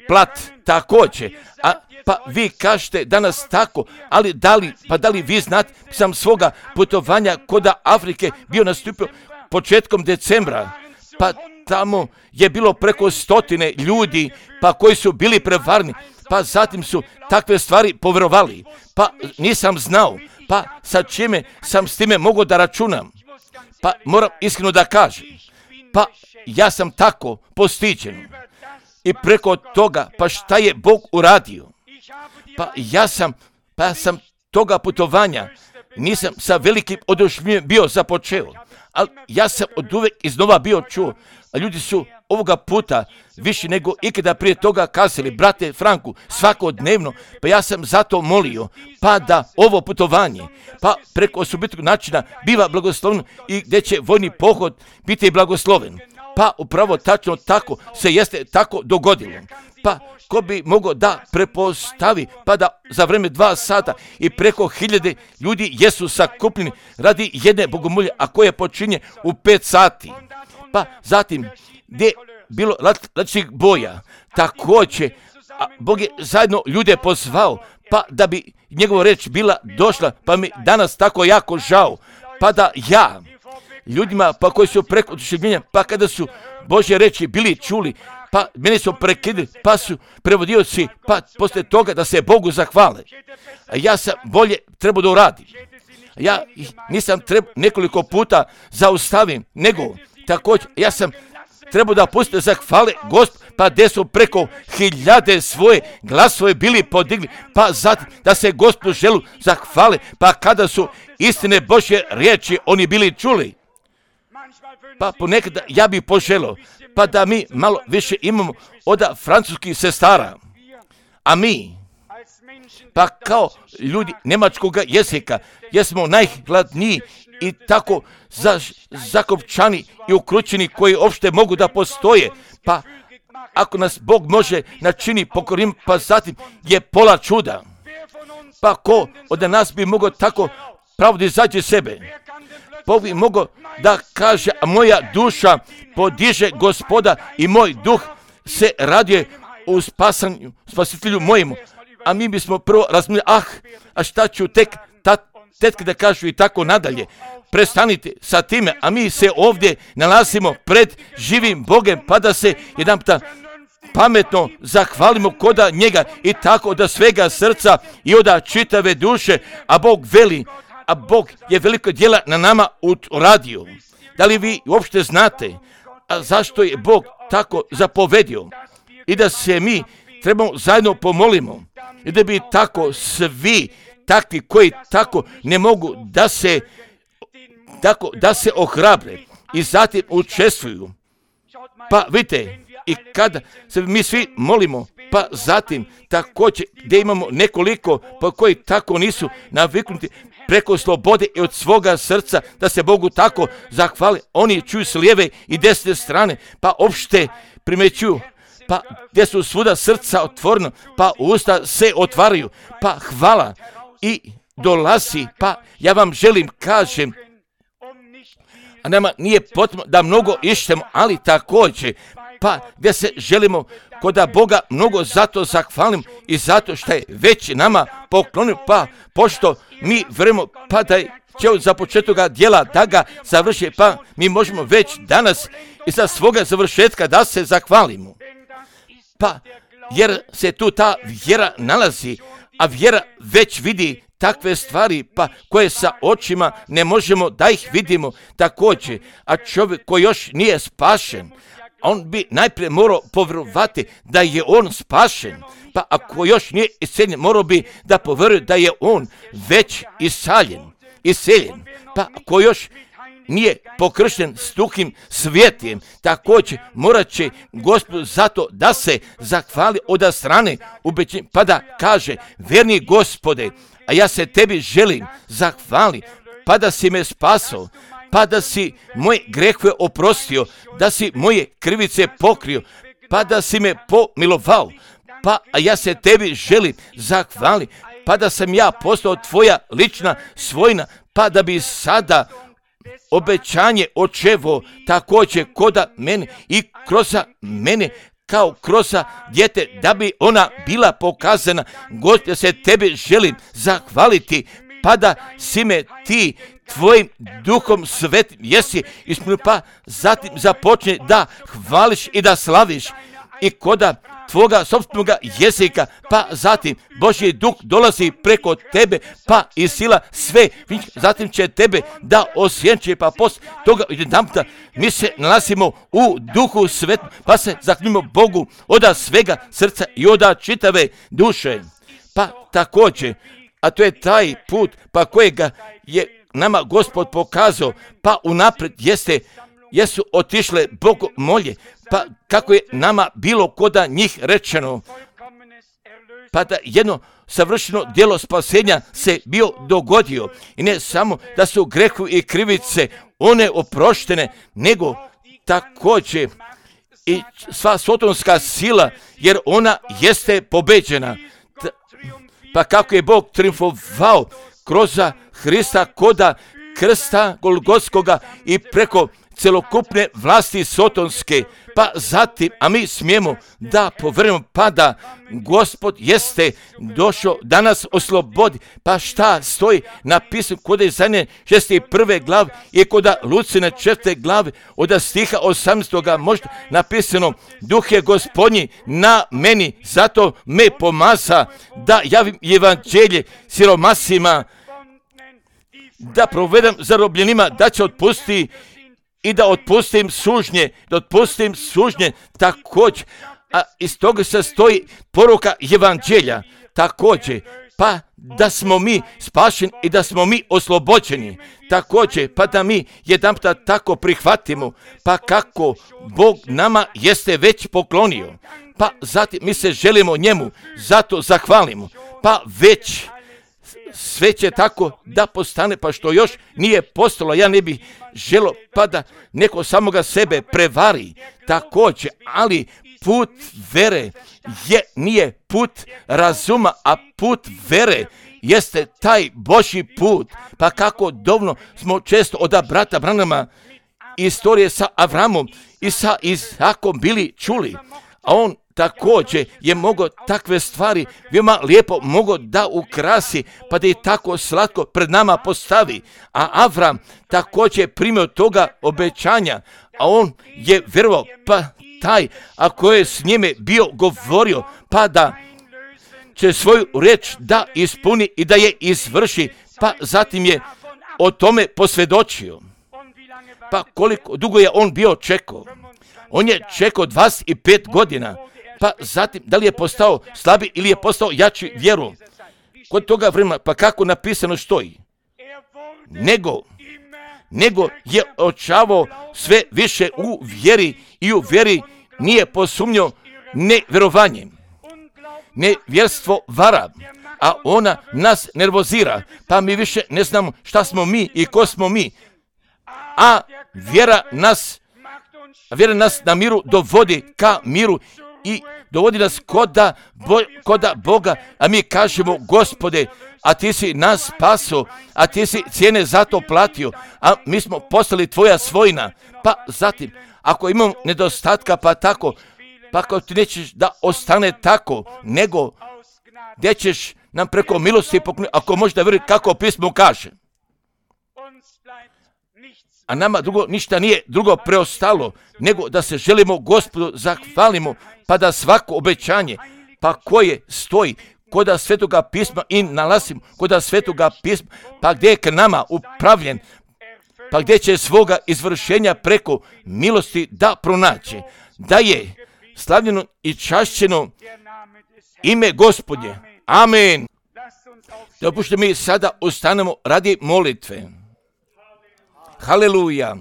plat također, a pa vi kažete danas tako, ali da li, pa da li vi znate, sam svoga putovanja koda Afrike bio nastupio početkom decembra, pa tamo je bilo preko stotine ljudi, pa koji su bili prevarni, pa zatim su takve stvari povjerovali, pa nisam znao, pa sa čime sam s time mogao da računam, pa moram iskreno da kažem, pa ja sam tako postiđen i preko toga, pa šta je Bog uradio, pa ja sam, pa sam toga putovanja, nisam sa velikim oduševljenjem bio započeo, ali ja sam od uvek iznova bio čuo, a ljudi su ovoga puta više nego ikada prije toga kazali, brate Franku, svakodnevno, pa ja sam zato molio, pa da ovo putovanje, pa preko osobitog načina biva blagosloveno i gdje će vojni pohod biti blagosloven. Pa upravo tačno tako se jeste tako dogodilo. Pa ko bi mogao da prepostavi, pa da za vreme dva sata i preko hiljade ljudi jesu sakupljeni radi jedne bogomolje, a koje počinje u pet sati. Pa zatim, gdje je bilo različitih boja, također, a Bog je zajedno ljude pozvao, pa da bi njegova reč bila došla, pa mi danas tako jako žao, pa da ja, ljudima pa koji su preko oduševljenja, pa kada su Božje reči bili čuli, pa mene su prekidili, pa su prevodioci, pa poslije toga da se Bogu zahvale. A ja sam bolje trebao da uradim. Ja nisam trebao nekoliko puta zaustavim, nego također ja sam trebao da pustite zahvale Gospod, pa gdje su preko hiljade svoje glasove bili podigli, pa zatim da se Gospodu želu zahvale, pa kada su istine Božje riječi oni bili čuli. Pa ponekada ja bih poželio, pa da mi malo više imamo od francuskih sestara, a mi, pa kao ljudi njemačkog jezika, jesmo najhladniji i tako za, zakopčani i ukrućeni koji uopšte mogu da postoje, pa ako nas Bog može načini pokorim, pa zatim je pola čuda. Pa ko od nas bi mogao tako pravo da izađe sebe? Bog bi mogao da kaže, a moja duša podiže Gospoda i moj duh se raduje u spasanju, spasitelju mojemu. A mi bismo prvo razmišljali, ah, a šta ću tek ta, tetke da kažu i tako nadalje. Prestanite sa time, a mi se ovdje nalazimo pred živim Bogem, pa da se jedan puta pametno zahvalimo koda njega i tako da svega srca i od čitave duše, a Bog veli, a Bog je veliko djela na nama uradio. Da li vi uopšte znate, a zašto je Bog tako zapovedio? I da se mi trebamo zajedno pomolimo i da bi tako svi takvi koji tako ne mogu da se tako da se ohrabre i zatim učestvuju. Pa vidite, i kada se mi svi molimo, pa zatim također gdje imamo nekoliko pa koji tako nisu naviknuti preko slobode i od svoga srca da se Bogu tako zahvali, oni čuju s lijeve i desne strane, pa opšte primećuju, pa gdje su svuda srca otvorena, pa usta se otvaraju, pa hvala i dolazi, pa ja vam želim kažem, a nama nije potrebno da mnogo išćemo, ali također, pa gdje se želimo kod Boga mnogo zato zahvalim i zato što je već nama poklonio, pa pošto mi vremo, pa da će za početka djela da ga završi, pa mi možemo već danas i za svoga završetka da se zahvalimo. Pa jer se tu ta vjera nalazi, a vjera već vidi takve stvari, pa koje sa očima ne možemo da ih vidimo također, a čovjek koji još nije spašen, on bi najprije morao povjerovati da je on spašen, pa ako još nije iseljen, morao bi da povjeruje da je on već iseljen, iseljen, pa ako još nije pokršten s Duhom Svetim, također morat će Gospod zato da se zahvali od strane ubeđenja, pa da kaže, verni Gospode, a ja se tebi želim zahvali, pa da si me spasao, pa da si moje grehove oprostio, da si moje krivice pokrio, pa da si me pomilovao, pa a ja se tebi želim zahvali, pa da sam ja postao tvoja lična svojina, pa da bi sada obećanje očevo također koda mene i kroz mene kao kroz dijete, da bi ona bila pokazana. Gospod, ja se tebe želim zahvaliti, pa da si me ti tvojim Duhom Svetim jesi ispunio, pa zatim započne da hvališ i da slaviš i koda tvoga sopstvenoga jezika, pa zatim Božji Duh dolazi preko tebe, pa i sila sve, zatim će tebe da osjenče, pa poslije toga jedanputa mi se nalazimo u Duhu Svetom, pa se zahvalimo Bogu od svega srca i od čitave duše. Pa također, a to je taj put pa kojega je nama Gospod pokazao, pa unaprijed jeste, jesu otišle Bogu molje, pa kako je nama bilo koda njih rečeno, pa da jedno savršeno djelo spasenja se bio dogodio. I ne samo da su grehovi i krivice one oproštene, nego također i sva sotonska sila, jer ona jeste pobeđena. Pa kako je Bog triumfovao kroz Hrista koda krsta Golgotskoga i preko celokupne vlasti sotonske, pa zatim, a mi smijemo da povrnemo, pa da Gospod jeste došao da nas oslobodi, pa šta stoji napisano kod Izaije šesnaeste prve glave i kod Lucine četvrte glave od stiha osamnaestoga možda napisano, Duh je Gospodnji na meni, zato me pomaza da javim evanđelje siromasima, da provedem zarobljenima, da će otpustiti i da otpustim sužnje, da otpustim sužnje također, a iz toga se stoji poruka evanđelja također, pa da smo mi spašeni i da smo mi oslobođeni također, pa da mi jedanputa tako prihvatimo, pa kako Bog nama jeste već poklonio, pa zatim mi se želimo njemu, zato zahvalimo, pa već sve će tako da postane, pa što još nije postalo, ja ne bih želo pa da neko samoga sebe prevari također, ali put vere je, nije put razuma, a put vere jeste taj Božji put, pa kako dovno smo često od brata Branhama istorije sa Avramom i sa Izakom bili čuli, a on također je mogao takve stvari veoma lijepo mogao da ukrasi, pa da je tako slatko pred nama postavi. A Avram također primio toga obećanja, a on je vjerovao, pa taj, ako je s njime bio govorio, pa da će svoju riječ da ispuni i da je izvrši, pa zatim je o tome posvjedočio. Pa koliko dugo je on bio čekao? On je čekao dvadeset pet godina. Pa zatim, da li je postao slabi ili je postao jači vjeru? Kod toga vremena, pa kako napisano stoji? Nego, nego je očavao sve više u vjeri i u vjeri nije posumnjao nevjerovanje. Nevjerstvo vara, a ona nas nervozira, pa mi više ne znamo šta smo mi i ko smo mi. A vjera nas, vjera nas na miru dovodi ka miru i dovodi nas koda, bo, koda Boga, a mi kažemo: Gospode, a ti si nas spaso, a ti si cijene za to platio, a mi smo postali tvoja svojina. Pa zatim, ako imamo nedostatka, pa tako, pa ako ti nećeš da ostane tako, nego gdje ćeš nam preko milosti pokloniti, ako možeš da vjeruješ kako pismo kaže. A nama drugo ništa nije drugo preostalo, nego da se želimo Gospodu zahvalimo, pa da svako obećanje, pa koje stoji koda Svetoga pisma i nalazimo koda Svetoga pisma, pa gdje je k nama upravljen, pa gdje će svoga izvršenja preko milosti da pronaće, da je slavljeno i čašćeno ime Gospodnje. Amen. Dopušte mi sada ostanemo radi molitve. Haleluja.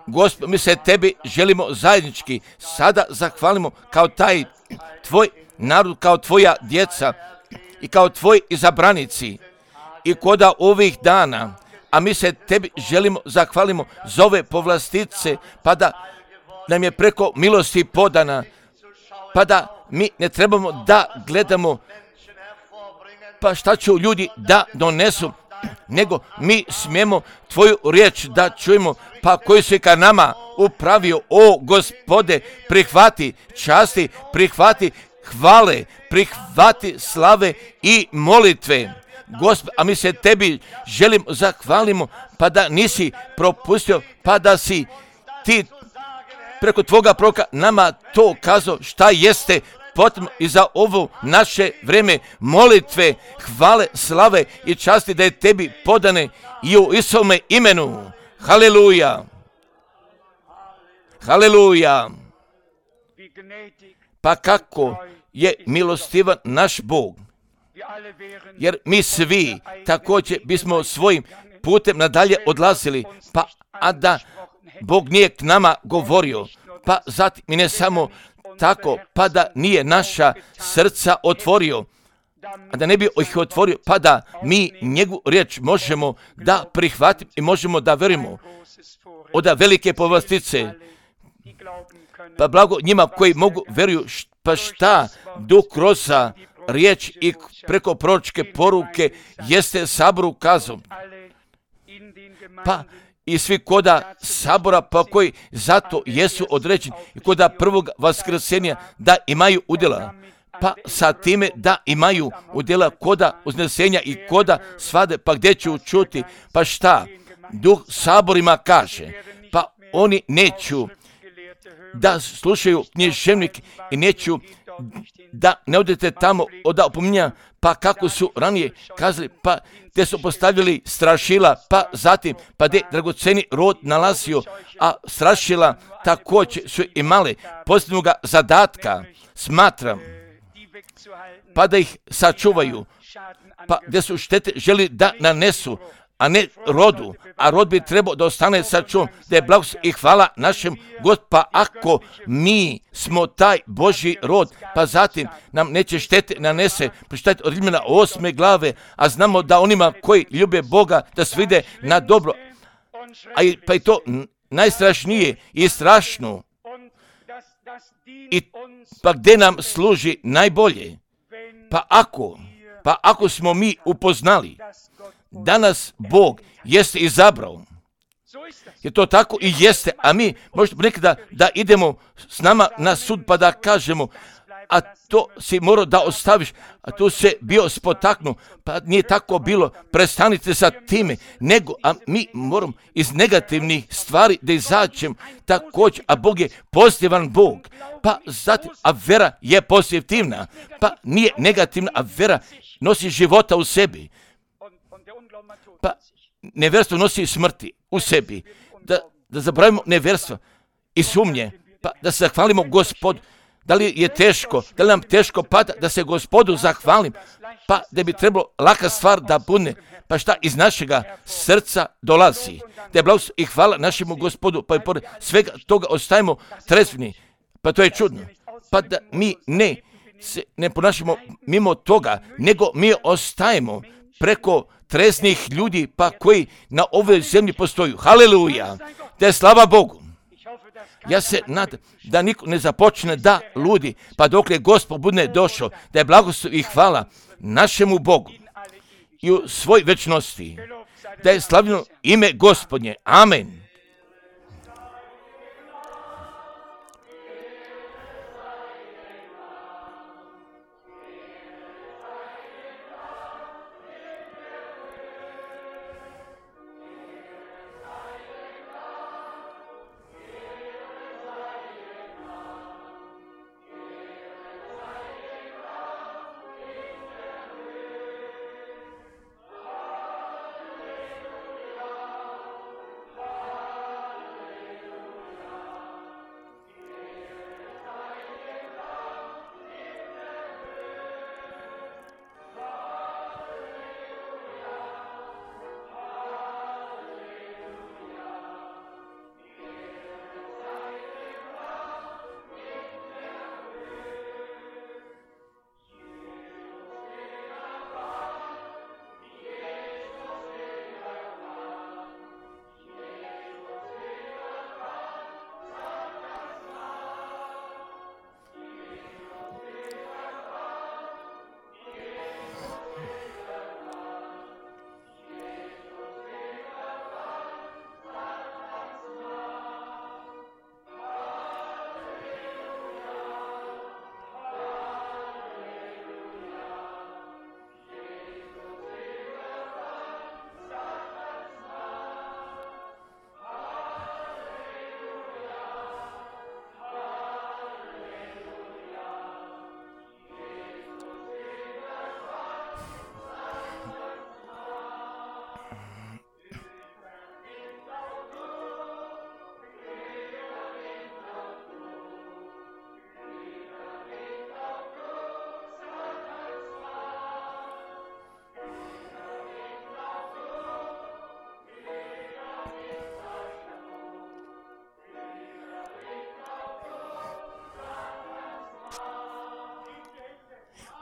Gospod, mi se tebi želimo zajednički sada zahvalimo kao taj tvoj narod, kao tvoja djeca i kao tvoji izabranici i koda ovih dana, a mi se tebi želimo zahvalimo za ove povlastice, pa da nam je preko milosti podana, pa da mi ne trebamo da gledamo pa šta će ljudi da donesu, nego mi smijemo tvoju riječ da čujemo, pa koji si ka nama upravio. O Gospode, prihvati časti, prihvati hvale, prihvati slave i molitve. Gospod, a mi se tebi želim zahvalimo, pa da nisi propustio, pa da si ti preko tvoga proroka nama to kazao šta jeste potrebno i za ovo naše vrijeme molitve, hvale, slave i časti da je tebi podane i u Isovome imenu. Haleluja. Haleluja. Pa kako je milostivan naš Bog, jer mi svi također bismo svojim putem nadalje odlazili, pa a da Bog nije k nama govorio, pa zatim i ne samo tako, pa da nije naša srca otvorio, a da ne bi ih otvorio, pa da mi njegu riječ možemo da prihvatimo i možemo da verimo od velike povlastice. Pa blago njima koji mogu veruju, pa šta Duh kroz riječ i preko proročke poruke jeste saboru kazao. Pa i svi koda sabora, pa koji zato jesu određeni i koda prvog vaskrsenja da imaju udjela, pa sa time da imaju udjela koda uznesenja i koda svade, pa gdje ću čuti, pa šta Duh saborima kaže, pa oni neću da slušaju književnik i neću da ne odete tamo od opominja, pa kako su ranije kazali, pa te su postavljali strašila, pa zatim, pa gdje dragoceni rod nalazio, a strašila također su imali posljednog zadatka, smatram, pa da ih sačuvaju, pa gdje su štete želi da nanesu, a ne rodu, a rod bi trebao da ostane sačuvan, da je blagoslov i hvala našem Gospodu. Pa ako mi smo taj Božji rod, pa zatim nam neće štete nanese, pročitajte od Rimljana osme glave, a znamo da onima koji ljube Boga da se vide na dobro, a i, pa i to najstrašnije i strašno, i pa gdje nam služi najbolje, pa ako, pa ako smo mi upoznali da nas Bog jeste izabrao, je to tako i jeste, a mi možemo nekada da idemo s nama na sud pa da kažemo, a to si morao da ostaviš, a tu se bio spotaknu, pa nije tako bilo, prestanite sa time, nego, a mi moramo iz negativnih stvari da izađemo također, a Bog je pozitivan Bog, pa zatim, a vera je pozitivna, pa nije negativna, a vera nosi života u sebi. Pa nevjerstvo nosi smrti u sebi. Da, da zabravimo nevjerstvo i sumnje, pa da se zahvalimo Gospodu, Da li je teško, da li nam teško pada da se Gospodu zahvalim, pa da bi trebalo laka stvar da bude, pa šta iz našega srca dolazi. Da je blagost i hvala našemu Gospodu, pa i pored svega toga ostajemo trezvni, pa to je čudno. Pa da mi ne se ne ponašamo mimo toga, nego mi ostajemo preko treznih ljudi, pa koji na ovoj zemlji postoju. Haleluja! Da je slava Bogu. Ja se nadam da niko ne započne da ludi, pa dok je Gospod bude došao, da je blagoslov i hvala našemu Bogu i u svoj večnosti, da je slavljeno ime Gospodnje. Amen.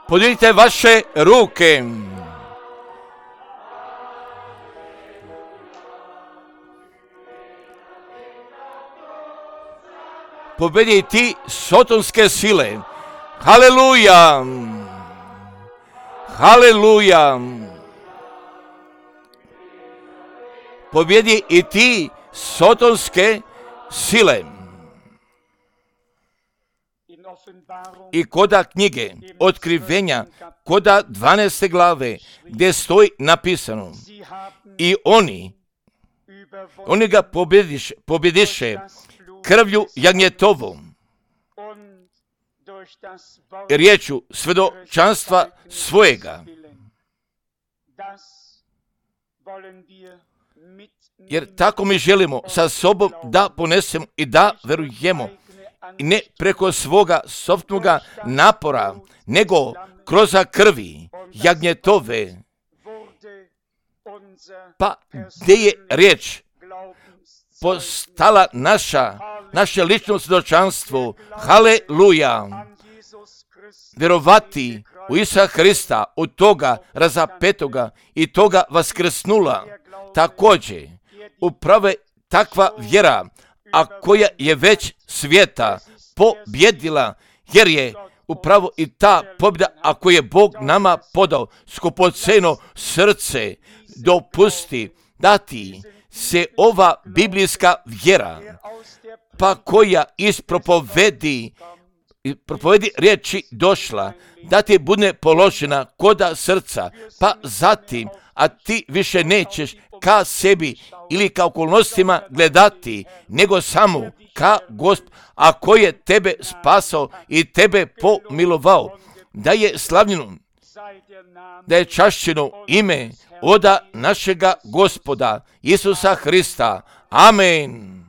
Podignite vaše ruke. Pobedi ti sotonske sile. Haleluja! Haleluja! Pobedi i ti sotonske sile. I koda knjige otkrivenja, koda dvanaeste glave, gdje stoji napisano, i oni, oni ga pobjediše, pobjediše krvlju jagnjetovom, riječu svjedočanstva svojega. Jer tako mi želimo sa sobom da ponesemo i da verujemo, i ne preko svoga sopnoga napora, nego kroz krvi jagnjetove. Pa gdje je riječ postala naša, naše lično svjedočanstvo. Haleluja! Vjerovati u Isusa Hrista, od toga razapetoga i toga vaskrsnula. Također, upravo takva vjera, a koja je već svijeta pobjedila, jer je upravo i ta pobjeda, ako je Bog nama podao skupoceno srce, dopusti dati se ova biblijska vjera, pa koja iz propovedi, propovedi riječi došla, da ti bude položena koda srca, pa zatim, a ti više nećeš ka sebi ili ka okolnostima gledati, nego samo ka Gospod, a koji je tebe spasao i tebe pomilovao, da je slavljeno, da je čašćeno ime oda našega Gospoda Isusa Hrista. Amen.